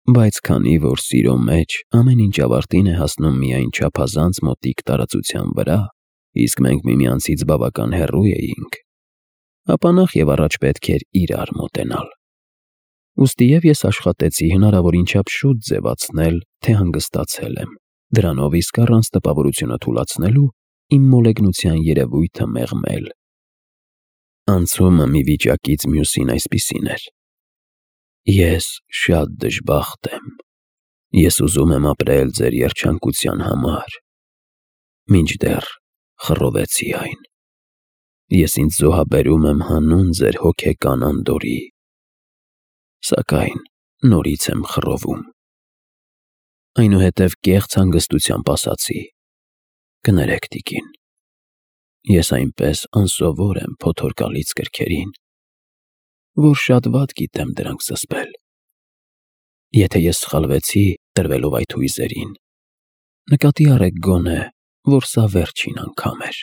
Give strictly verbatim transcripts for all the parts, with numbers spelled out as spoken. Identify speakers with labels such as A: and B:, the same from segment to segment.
A: Բայց քանի որ սիրո մեջ ամեն ինչ ավարտին է հասնում միայն չափազանց մոտիկ տարածության վրա, իսկ մենք միմյանցից բավական հեռու էինք, ապա նախ եւ առաջ պետք էր իրար մոտենալ։ Ուստիև ես աշխատեցի հնարավորին չափ շուտ ձևացնել, թե հանգստացել եմ, դրանով իսկ առանց տպավորությունը թուլացնելու իմ մոլեգնության երևույթը մեղմել։ Անցումը մի վիճակից մյուսին այսպիսին էր. Ես շատ դժբախտ եմ։ Ես ուզում եմ ապրել ձեր երջանկության համար, մինչդեռ խռովեցի այն։ Ես ինձ զոհաբերում եմ հանուն ձեր հոգեկան անդորրի, սակայն նորից եմ խռովում։ Այնուհետև կեղծ հանգստությամբ ասացի. «Կներեք, տիկին, ես այնպես անսովոր եմ փոթորկալից կրքերին, որ շատ վատ գիտեմ դրանք զսպել։ Եթե ես սխալվեցի տրվելով այդ հույզերին, նկատի առեք գոնե, որ սա վերջին անգամ էր։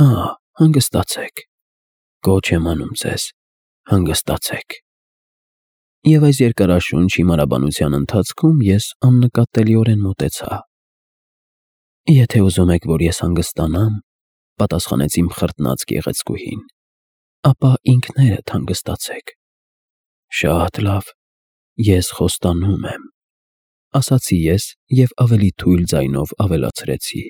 A: Ահա, հանգստացեք, կոչ եմ անում ձեզ, հանգստացեք»։ Եվ այս երկարաշունչ հիմարաբանության ընթացքում ես աննկատելիորեն մոտեցա։ «Եթե ուզում եք, որ ես հանգստանամ», պատասխանեց իմ խրտնած գեղեցկուհին, «ապա ինքներդ հանգստացեք»։ «Շատ լավ, ես խոստանում եմ», ասացի ես և ավելի թույլ ձայնով ավելացրեցի.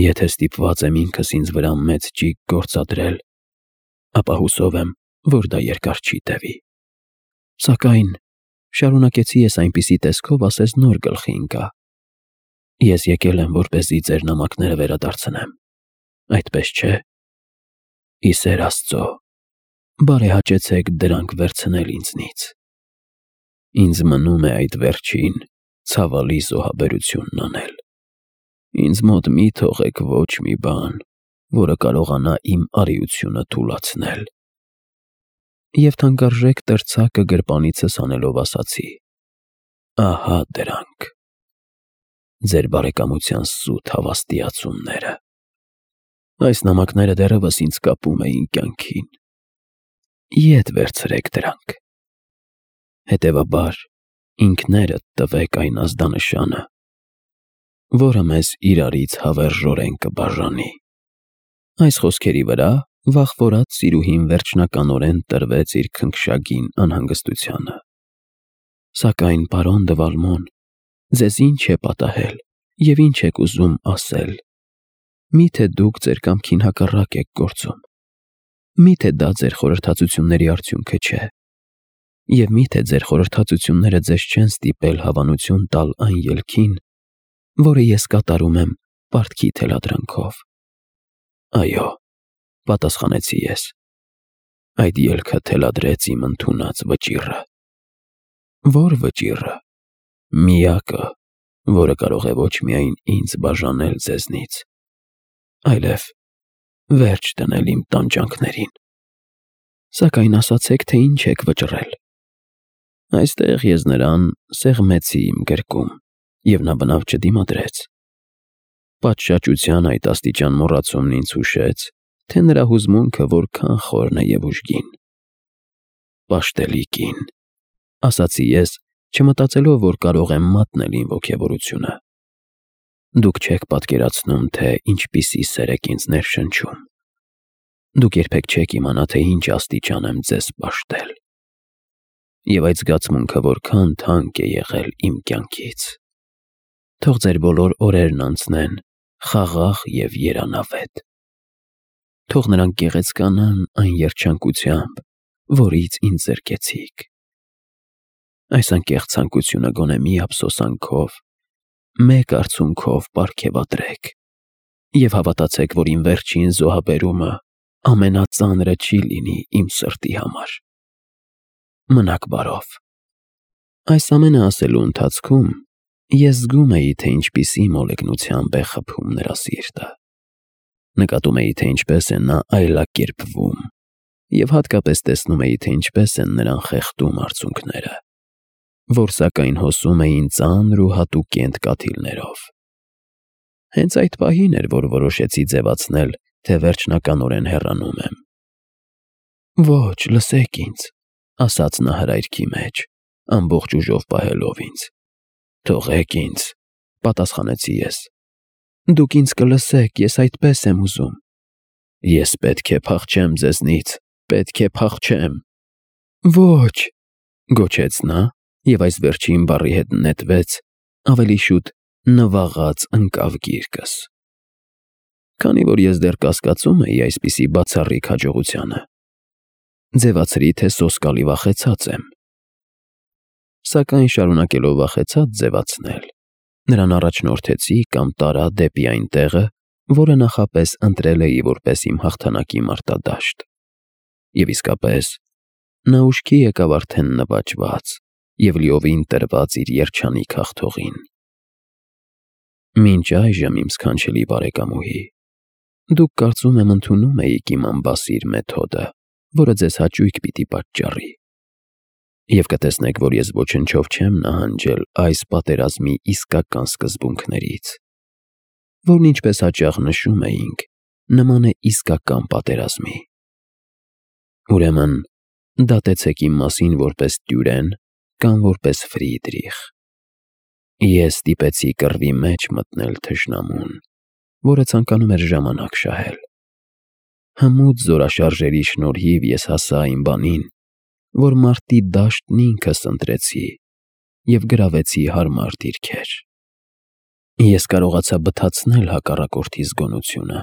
A: «Եթե ստիպված եմ ինքս ինձ վրա մեծ ճիգ գործադրել, ապա հուսով եմ, որ դա երկար չի տևի»։ «Սակայն», շարունակեցի ես այնպիսի տեսքով, ասես նոր գլխի ընկա, «ես եկել եմ, որպեսզի ձեր նամակները վերադարձնեմ, այդպես չէ՞։ Ի սեր Աստծո, բարեհաճեցեք դրանք վերցնել ինձնից։ Ինձ մնում է այդ վերջին, ցավալի զոհաբերությունն անել։ Ինձ մոտ մի թողեք ոչ մի բան, որը կարողանա իմ արիությունը թուլացնել»։ Եվ թանկարժեք տրցակը գրպանիցս հանելով ասացի. «Ահա դրանք, ձեր բարեկամության սուտ հավաստիացումները։ Այս նամակները դեռևս ինձ կապում էին կյանքին։ Ետ վերցրեք դրանք։ Հետևաբար ինքներդ տվեք այն ազդանշանը, որը մեզ իրարից հավերժորեն կբաժանի»։ Այս խոսքերի վրա վախվորած սիրուհին վերջնականորեն տրվեց իր քնքշագին անհանգստությանը։ «Սակայն, պարոն դը Վալմոն, ձեզ ինչ է պատահել և ինչ եք ուզում ասել։ Մի՞թե դուք ձեր կամքին հակառակ եք գործում։ Մի՞թե դա ձեր խորհրդածությունների արդյունքը չէ։ Եվ մի՞թե ձեր խորհրդածությունները ձեզ չեն ստիպել հավանություն տալ այն ելքին, որը ես կատարում եմ պարտքի թելադրանքով»։ «Այո», պատասխանեցի ես, «այդ ելքը թելադրեց իմ ընդունած վճիռը»։ «Ո՞ր վճիռը»։ «Միակը, որը կարող է ոչ միայն ինձ բաժանել ձեզնից, այլև վերջ դնել իմ տանջանքներին»։ «Սակայն ասացեք, թե ինչ եք վճռել»։ Այստեղ ես նրան սեղմեցի իմ գրկում, և նա բնավ չդիմադրեց։ Պատշաճության այդ աստիճան մոռացումն ինձ հուշեց, թե նրա հուզմունքը որքան խորն է և ուժգին։ «Պաշտելի կին», ասացի ես, չմտածելով, որ կարող եմ մատնել իմ ոգևորությունը։ «Դուք չեք պատկերացնում, թե ինչպիսի սեր եք ինձ ներշնչում։ Դուք երբեք չեք իմանա, թե ինչ աստիճան եմ ձեզ պաշտել։ Եվ այդ զգացմունքը որքան թանկ է եղել իմ կյանքից։ Թող ձեր բոլոր օրերն անցնեն խաղաղ և երանավետ։ Թող նրանք գեղեցկանան այն երջանկությամբ, որից ինձ զրկեցիք։ Այս անկեղծ ցանկությունը գոնե մի ափսոսանքով, մեկ արցունքով պարգևատրեք և հավատացեք, որ իմ վերջին զոհաբերումը ամենածանրը չի լինի իմ սրտի համար։ Մնաք բարով»։ Այս ամենը ասելու ընթացքում ես զգում էի, թե ինչպիսի մոլեգնությամբ է խփում նրա սիրտը։ Նկատում էի, թե ինչպես է նա այլակերպվում, և հատկապես տեսնում էի, թե ինչպես են նրան խեղդում արցունքները, որ սակայն հոսում էին ծանր ու հատուկենտ կաթիլներով։ Հենց այդ պահին էր, որ որոշեցի ձևացնել, թե վերջնականորեն հեռանում եմ։ «Ոչ, լսեք ինձ», ասաց նա հրայրքի մեջ, ամբողջ ուժով պահելով ինձ։ Թողեք ինձ, պատասխանեցի ես։ Դուք ինձ կլսեք, ես այդպես եմ ուզում։ Ես պետք է փախչեմ ձեզնից, պետք է փախչեմ։ Ոչ, գոչեց նա, և այս վերջին բառի հետ նետվեց, ավելի շուտ նվաղած ընկավ գիրկս։ Քանի որ ես դեռ կասկածում էի այսպիսի բացառիկ հաջողությանը, ձևացրի, թե սոսկալի վախեցած եմ։ Սակայն շարունակելով վախեցած ձևացնել, նրան առաջնորդեցի կամ տարա դեպի այն տեղը, որը նախապես ընտրել էի որպես իմ հաղթանակի մարտադաշտ։ Եվ իսկապես, նա ուշքի եկավ արդեն նվաճված և լիովին տրված իր երջանիկ հաղթողին։ Մինչ այժմ, իմ սքանչելի բարեկամուհի, դուք կարծում եմ ընդունում էիք իմ անբասիր մեթոդը, որը ձեզ հաճույք պիտի պատճառի։ Եվ կտեսնեք, որ ես ոչնչով չեմ նահանջել այս պատերազմի իսկական սկզբունքներից, որն ինչպես հաճախ նշում էինք, նման է իսկական պատերազմի։ Ուրեմն, դատեցեք իմ մասին որպես Տյուրեն կամ որպես Ֆրիդրիխ։ Ես ստիպեցի կռվի մեջ մտնել թշնամուն, որը ցանկանում էր ժամանակ շահել։ Հմուտ զորաշարժերի շնորհիվ ես հասա այն բանին, որ մարտի դաշտն ինքս ընտրեցի և գրավեցի հարմար դիրքեր։ Ես կարողացա բթացնել հակառակորդի զգոնությունը,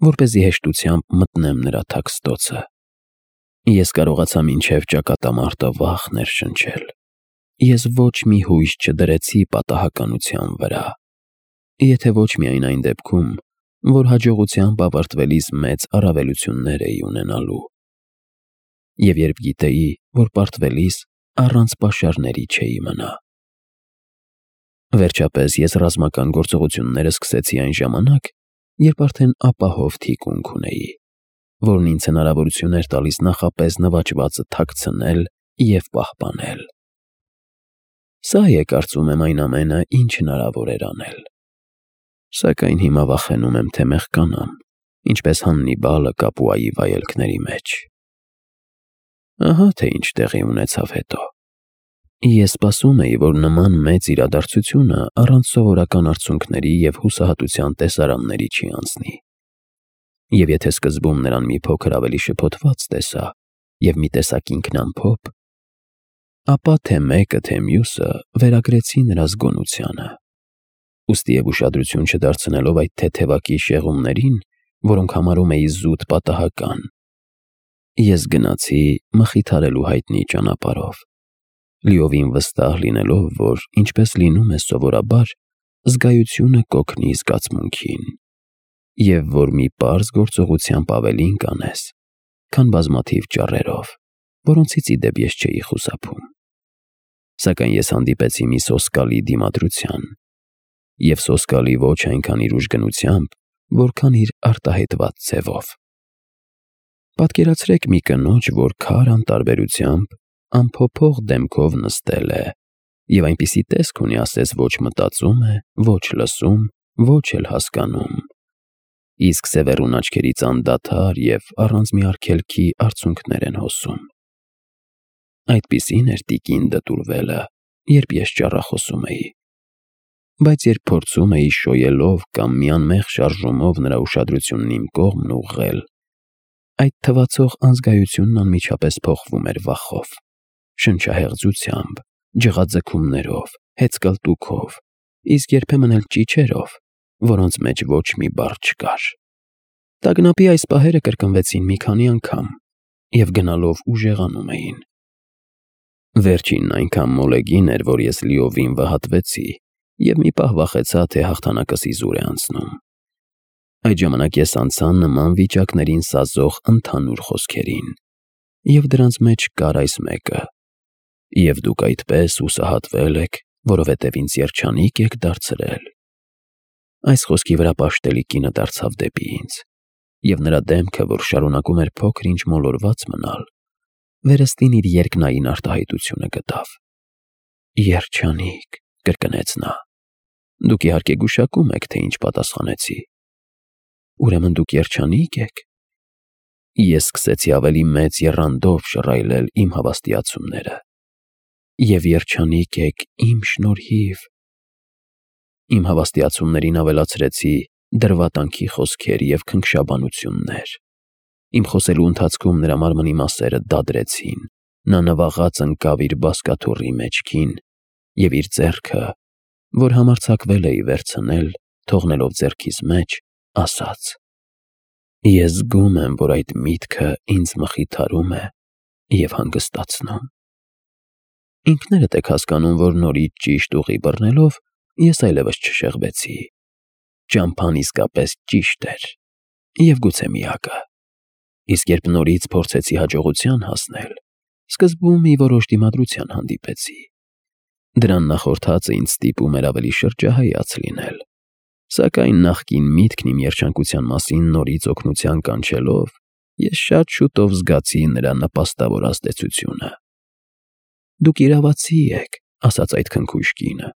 A: որպեսզի հեշտությամբ մտնեմ նրա թաքստոցը։ Ես կարողացա մինչև ճակատամարտը վախ ներշնչել։ Ես ոչ մի հույս չդրեցի պատահականության վրա, եթե ոչ միայն այն դեպքում, որ հաջողությամբ ավարտվելիս մեծ առավելություններ էի ունենալու։ Եվ երբ գիտեի, որ պարտվելիս առանց պաշարների չէի մնա։ Վերջապես ես ռազմական գործողությունները սկսեցի այն ժամանակ, երբ արդեն ապահով թիկունք ունեի, որն ինձ հնարավորություն էր տալիս նախապես նվաճվածը թաքցնել և պահպանել։ Սա է, կարծում եմ, այն ամենը, ինչ հնարավոր էր անել։ Սակայն հիմա վախենում եմ, թե մեղկանամ, ինչպես Հաննիբալը Կապուայի վայելքների մեջ։ Ահա թե ինչ տեղի ունեցավ հետո։ Ես սպասում էի, որ նման մեծ իրադարձությունը առանց սովորական արդյունքների և հուսահատության տեսարանների չի անցնի։ Եվ եթե սկզբում նրան մի փոքր ավելի շփոթված տեսա և մի տեսակ ինքնամփոփ, ապա թե մեկը, թե մյուսը վերագրեցի նրա զգոնությանը։ Ուստի և ուշադրություն չդարձնելով այդ թեթևակի շեղումներին, որոնք համարում էի զուտ պատահական, ես գնացի մխիթարելու հայտնի ճանապարհով, լիովին վստահ լինելով, որ, ինչպես լինում է սովորաբար, զգայությունը կօգնի զգացմունքին, և որ մի պարզ գործողությամբ ավելին կանես, քան բազմաթիվ ճառերով, որոնցից ի դեպ ես չէի խուսափում։ Սակայն ես հանդիպեցի մի սոսկալի դիմադրության, և սոսկալի ոչ այնքան իր ուժգնությամբ, որքան իր արտահայտված ձևով։ Պատկերացրեք մի կնոջ, որ քար անտարբերությամբ անփոփոխ դեմքով նստել է և այնպիսի տեսք ունի, ասես ոչ մտածում է, ոչ լսում, ոչ էլ հասկանում, իսկ սևեռուն աչքերից անդադար և առանց մի արգելքի արցունքներ են հոսում։ Այդպիսին էր տիկին դտուրվելը, երբ ես ճառախոսում էի։ Բայց երբ փորձում էի շոյելով կամ մի անմեղ շարժումով նրա ուշադրությունն իմ կողմն ուղղել, այդ թվացող անզգայությունն անմիջապես փոխվում էր վախով, շնչահեղձությամբ, ջղաձգումներով, հեծկլտուքով, իսկ երբեմն էլ ճիչերով, որոնց մեջ ոչ մի բառ չկար։ Տագնապի այս պահերը կրկնվեցին մի քանի անգամ և գնալով ուժեղանում էին։ Վերջինն այնքան մոլեգին էր, որ ես լիովին վհատվեցի և մի պահ վախեցա, թե հաղթանակս իզուր է անցնում։ Այդ ժամանակ ես անցա նման վիճակներին սազող ընդհանուր խոսքերին, և դրանց մեջ կար այս մեկը. «Եվ դուք այդպես հուսահատվել եք, որովհետև ինձ երջանիկ եք դարձրել»։ Այս խոսքի վրա պաշտելի կինը դարձավ դեպի ինձ, և նրա դեմքը, որ շարունակում էր փոքր-ինչ մոլորված մնալ, վերստին իր երկնային արտահայտությունը գտավ։ «Երջանիկ», կրկնեց նա։ Դուք իհարկե գուշակում եք, թե ինչ պատասխանեցի։ Ուրեմն դուք երջանի՞կ եք։ Ես սկսեցի ավելի մեծ եռանդով շռայլել իմ հավաստիացումները։ և երջանիկ եք իմ շնորհիվ։ Իմ հավաստիացումներին ավելացրեցի դրվատանքի խոսքեր և քնքշաբանություններ։ Իմ խոսելու ընթացքում նրա մարմնի մասերը դադրեցին, նա նվաղած ընկավ իր բազկաթոռի մեջքին և իր ձեռքը, որ համարձակվել էի վերցնել, թողնելով ձեռքիս մեջ, ասաց. «Ես զգում եմ, որ այդ միտքը ինձ մխիթարում է և հանգստացնում»։ Ինքներդ եք հասկանում, որ նորից ճիշտ ուղի բռնելով ես այլևս չշեղվեցի։ Ճամփան իսկապես ճիշտ էր և գուցե միակը։ Իսկ երբ նորից փորձեցի հաջողության հասնել, սկզբում մի որոշ դիմադրության հանդիպեցի։ Դրան նախորդածը ինձ ստիպում էր ավելի շրջահայաց լինել, սակայն նախկին միտքն իմ երջանկության մասին նորից օգնության կանչելով, ես շատ շուտով զգացի նրա նպաստավոր ազդեցությունը։ «Դուք իրավացի եք», — ասաց այդ քնքուշ կինը,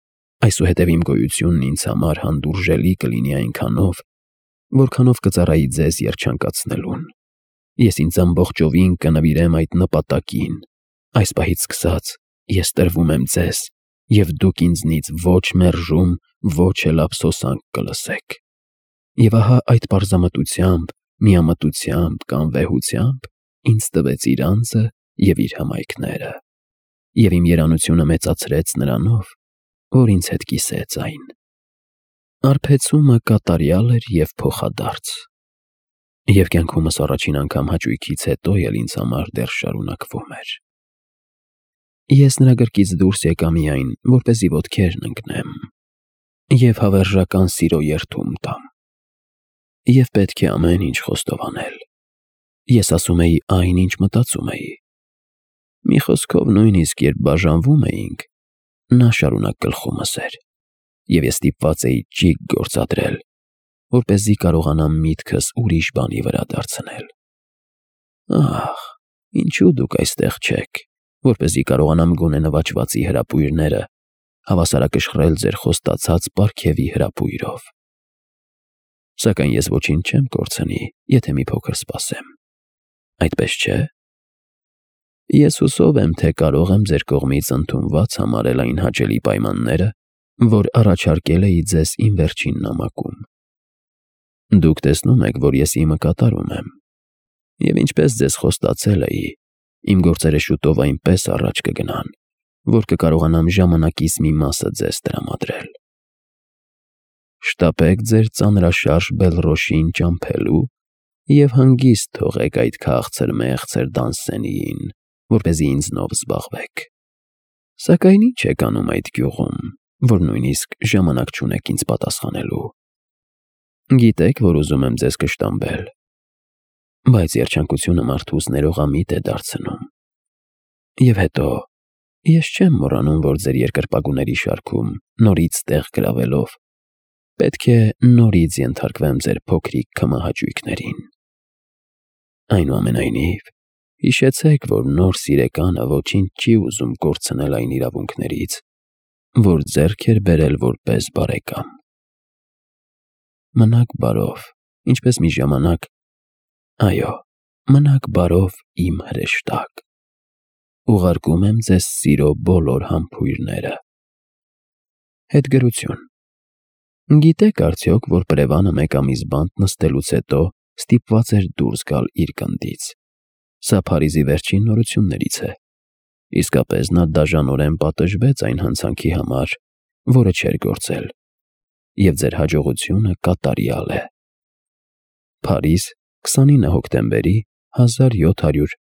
A: «այսուհետև իմ գոյությունն ինձ համար հանդուրժելի կլինի այնքանով, որքանով կծառայի ձեզ երջանկացնելուն։ Ես ինձ ամբողջովին կնվիրեմ այդ նպատակին։ Այս պահից սկսած ես տրվում եմ ձեզ, և դուք ինձնից ոչ մերժում, ոչ էլ ափսոսանք կլսեք»։ Եվ ահա այդ պարզամտությամբ, միամտությամբ կամ վեհությամբ ինձ տվեց իր անձը և իր հմայքները։ Եվ իմ երանությունը մեծացրեց նրանով, որ ինձ հետ կիսեց այն։ Արբեցումը կատարյալ էր և փոխադարձ։ Եվ կյանքումս առաջին անգամ հաճույքից հետո էլ ինձ համար դեռ շարունակվում էր։ Ես նրա գրկից դուրս եկա միայն, որպեսզի ոտքերն ընկնեմ և հավերժական սիրո երդում տամ։ Եվ պետք է ամեն ինչ խոստովանել։ Ես ասում էի այն, ինչ մտածում էի։ Մի խոսքով, նույնիսկ երբ բաժանվում էինք, նա շարունակ գլխումս էր, և ես ստիպված էի ճիգ գործադրել, որպեսզի կարողանամ միտքս ուրիշ բանի վրա դարձնել։ Ահ, ինչու դուք այստեղ չեք, որպեսզի կարողանամ գոնե նվաճվածի հրապույրները հավասարակշռել ձեր խոստացած պարգևի հրապույրով։ Սակայն ես ոչինչ չեմ կորցնի, եթե մի փոքր սպասեմ։ Այդպես չէ՞։ Ես հուսով եմ, թե կարող եմ ձեր կողմից ընդունված համարել այն հաճելի պայմանները, որ առաջարկել էի ձեզ իմ վերջին նամակում։ Դուք տեսնում եք, որ ես իմը կատարում եմ, և ինչպես ձեզ խոստացել էի, իմ գործերը շուտով այնպես առաջ կգնան, որ կկարողանամ ժամանակիս մի մասը ձեզ տրամադրել։ Շտապեք ձեր ծանրաշարժ Բելռոշին ճամփելու և հանգիստ թողեք այդ քաղցր֊մեղցր Դանսենիին, որպեսզի ինձնով զբաղվեք։ Սակայն ի՞նչ եք անում այդ գյուղում, որ նույնիսկ ժամանակ չունեք ինձ պատասխանելու։ Գիտեք, որ ուզում եմ ձեզ կշտամբել, բայց երջանկությունը մարդուս ներողամիտ է դարձնում։ Եվ հետո, ես չեմ մոռանում, որ ձեր երկրպագուների շարքում նորից տեղ գրավելով, պետք է նորից ենթարկվեմ ձեր փոքրիկ քմահաճույքներին։ Այնուամենայնիվ, հիշեցեք, որ նոր սիրեկանը ոչինչ չի ուզում կորցնել այն իրավունքներից, որ ձեռք էր բերել որպես բարեկամ։ Մնաք բարով, ինչպես մի ժամանակ, այո, մնաք բարով, իմ հրեշտակ։ Ուղարկում եմ ձեզ սիրո բոլոր համբույրները։ Հետգրություն։ Գիտեք արդյոք, որ պրևանը մեկ ամիս բանտ նստելուց հետո ստիպված էր դուրս գալ իր գնդից։ Սա Փարիզի վերջին նորություններից է։ Իսկապես նա դաժանորեն պատժվեց այն հանցանքի համար, որը չէր գործել, և ձեր հաջողությունը կատարյալ է։ Փարիզ, քսանինը հոկտեմբերի հազար յոթ հարյուր